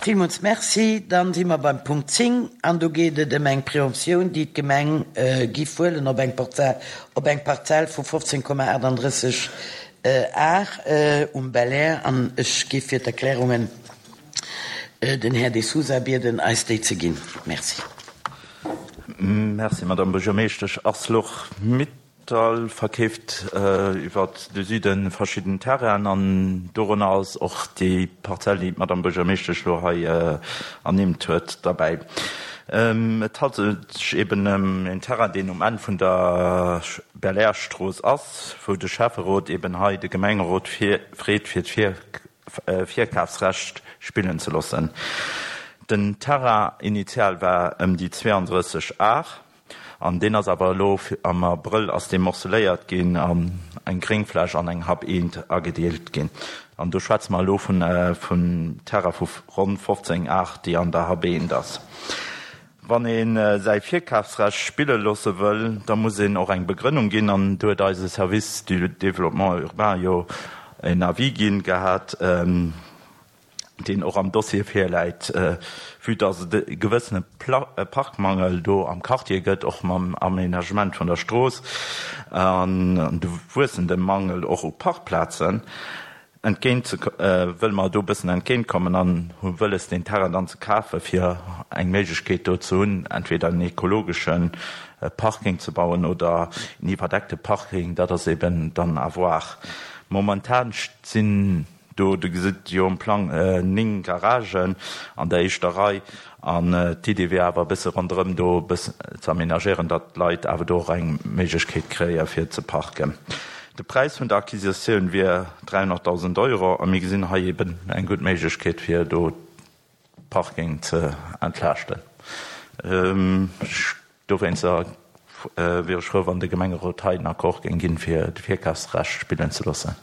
Villmools Merci. Dann si mer beim Punkt 10 an do geet et ëm eng Préemptioun, déi d'Gemeng giff huelen op eng Parzell, op eng Parzell vu 15,38 Ar um Belair. An ech giff fir d'Erklärungen den Här De Sousa bieden, eis déi ze ginn. Merci. Merci, Madame Buergermeeschtesch. Arcelor-Mittal verkeeft iwwer de Süde verschidden Terrainen an dorënner ass och déi Parzell, déi d'Madame Buergermeeschtesch elo hei ernimmt huet, derbäi. Et handelt sech eben ëm en Terrain, deen um Enn vun der Belair-Strooss ass, wou de Schäfferot eben hei de Gemengerot freet fir d'Virkafsrecht spillen ze loossen. Den Terrain initial war ëm déi 32 Ar an deen ass awer elo am Abrëll ass dee morceléiert ginn an eng Gréngfläch an eng Hab eent agedeelt ginn. An do schwätze mer elo vun Terrain vu ronn 15 Ar, déi an der Hab eent ass. Wann ee säi Virkafsrecht spille loosse wëll, da muss een och eng Begrënnung ginn. An do huet eise Service du développement urbain jo en Avis ginn gehat, deen och am Dossier virläit, vue dass et e gewëssene Parkmangel do am Quartier gëtt, och mam Aménagement vun der Strooss an de wuessende Mangel och u Parkplazen. Entgéint ze wëlle mer do e bëssen entgéint kommen an hu wëlles deen Terrain dann ze kafe fir eng Méiglechkeet do ze hunn, entweder en ekologesche Parking ze bauen oder en iwwerdeckte Parking, dat ass eben dann à voir. Momentan sinn do, Dir gesitt jo um Plang, 9 Garagen an der éischter Rei an d'Idee wier awer e bësse ronderëm do e bëssen ze aménagéieren, datt d'Leit awer do och eng Méiglechkeet kréie fir ze parken. De Präis vun der Acquisitioun wier 300.000 Euro a mir gesinn hei eben eng gutt Méiglechkeet fir do Parking ze entlaaschten. Dowéinster wier ech frou, wann de Gemengerot hei den Accord géing ginn, fir de Virkafsrecht spillen ze loossen.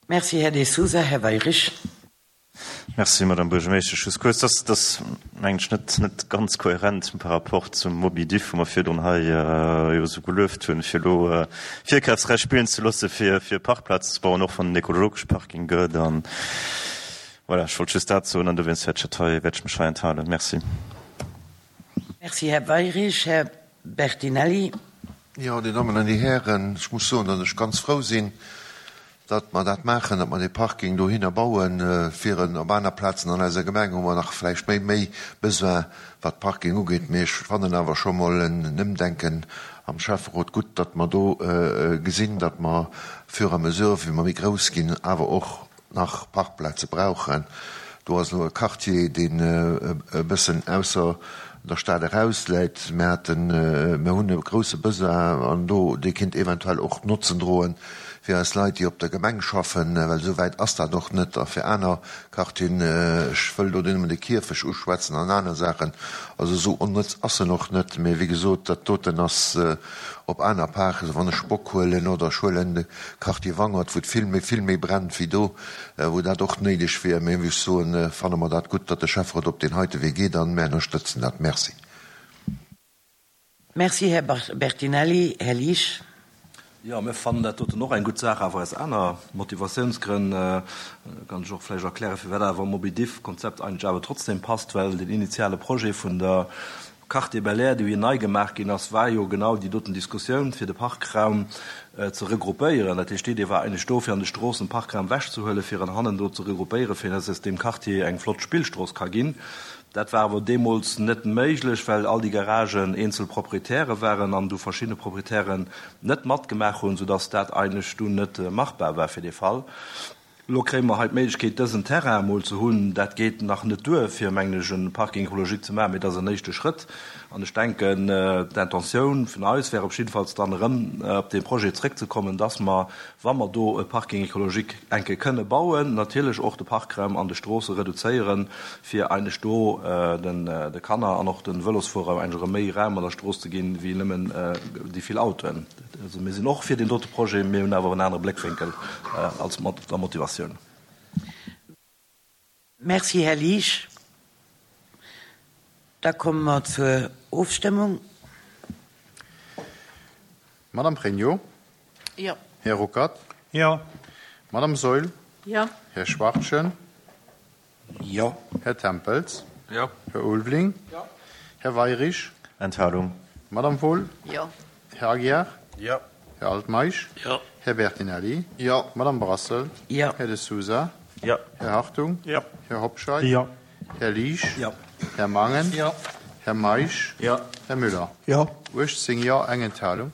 Merci, Här De Sousa. Här Weyrich. Merci, Madame Buergermeeschtesch. Just kuerz, dat ass, mengen ech, net, net ganz kohärent par rapport zum Mobidiff, wou mer virdrun hei jo esou gelueft hunn, fir elo Virkafsrecht spillen ze loosse fir, fir Parkplazen ze bauen, och wann en ekologesche Parking gëtt. An voilà, ech wollt just dat soen an dowéinst wäert ech dat hei, wäert ech mech hei enthalen. Merci. Merci, Här Weyrich. Här Bertinelli. Jo, Dir Dammen an Dir Hären, ech muss soen, datt ech ganz frou sinn, datt mer dat maachen, datt mer dee Parking dohinner bauen. Fir en op aner Plazen an eiser Gemeng hu mer nach vläicht méi méi Besoin, wat Parking ugeet. Mee ech fannen awer scho mol en Ëmdenken am Schäfferot gutt, datt mer do gesinn, datt mer fur et à mesure, wéi mer méi grouss ginn, awer och nach Parkplaze brauchen. Do ass elo e Quartier, deen e bëssen ausser der Stad eraus läit. Mir haten, mir hunn e grouse Besoin an do, dee kéint eventuell och Notzen droen fir eis Leit, déi op der Gemeng schaffen, well esou wäit ass dat och net, a fir aner Quartieren, ech wëll do nëmmen de Kierfech uschwätzen an aner Saachen. Also esou onnëtz ass en och net. Mee wéi gesot, dat doten ass op aner Parken, wann ech Bock huelen oder ech huelen de Quartier Wangert, wou et vill méi, vill méi brennt wéi do, wou dat och néideg wier. Mee wéi ech soen, fanne mer dat gutt, datt de Schäfferot op deen heite Wee geet an mär ënnerstëtzen dat. Merci. Merci, Här Bertinelli. Här Liesch. Jo, mir fannen dat doten och eng gutt Saach, awer aus aner Motivatiounsgrënn. Kann ech och vläicht erklären, firwat awer Mobidiff-Konzept eigentlech awer trotzdem passt, well den initiale Projet vun der Quartier Belair, dee jo nei gemaach ginn ass, war jo genau déi doten Diskussioun, fir de Parkraum ze regroupéieren. Dat heescht, d'Idee war eigentlech do, fir an de Stroossen Parkraum ewechzehuelen, fir en hannen do ze regroupéieren, fir dass aus deem Quartier eng flott Spillstrooss ka ginn. Dat war awer deemools net méiglech, well all déi Garagen eenzel Proprietäre waren an du verschidde Proprietären net matgemaach hunn, soudass dat eigentlech dunn net machbar war fir dee Fall. Elo kréie mer hei d'Méiglechkeet, dësen Terrain emol ze hunn. Dat geet nach net duer, fir, mengen ech, e Parking écologique ze maachen, mee et ass en éischte Schrëtt. An ech denken, d'Intentioun vun eis wär op jiddefalls dann erëm op dee Projet zrëckzekommen, dass mer, wa mer do e Parking écologique enke kënne bauen, natierlech och de Parkraum an de Stroosse reduzéieren, fir eigentlech do de Kanner an och de Vëlosfuerer eigentlech erëm méi Raum an der Strooss ze ginn, wéi nëmmen déi vill Autoen. Also mir sinn och fir deen dote Projet, mir hunn awer en anere Bléckwénkel als mat der Motivatioun. Merci, Här Liesch. Da komme mer zur Ofstëmmung. Madame Pregno. Jo. Här Ruckert. Jo. Madame Saeul. Jo. Här Schwachtgen. Jo. Här Tempels. Jo. Här Ulveling. Jo. Här Weirich. Enthalung. Madame Wohl. Jo. Här Aguiar. Jo. Här Altmeisch. Jo. Här Bertinelli. Jo. Madame Brassel. Jo. Här De Sousa. Jo. Här Hartung. Jo. Här Hobscheit. Jo. Här Liesch. Jo. Här Mangen. Jo. Här Meisch. Jo. Här Müller. Jo. 18 Jo, eng Enthalung.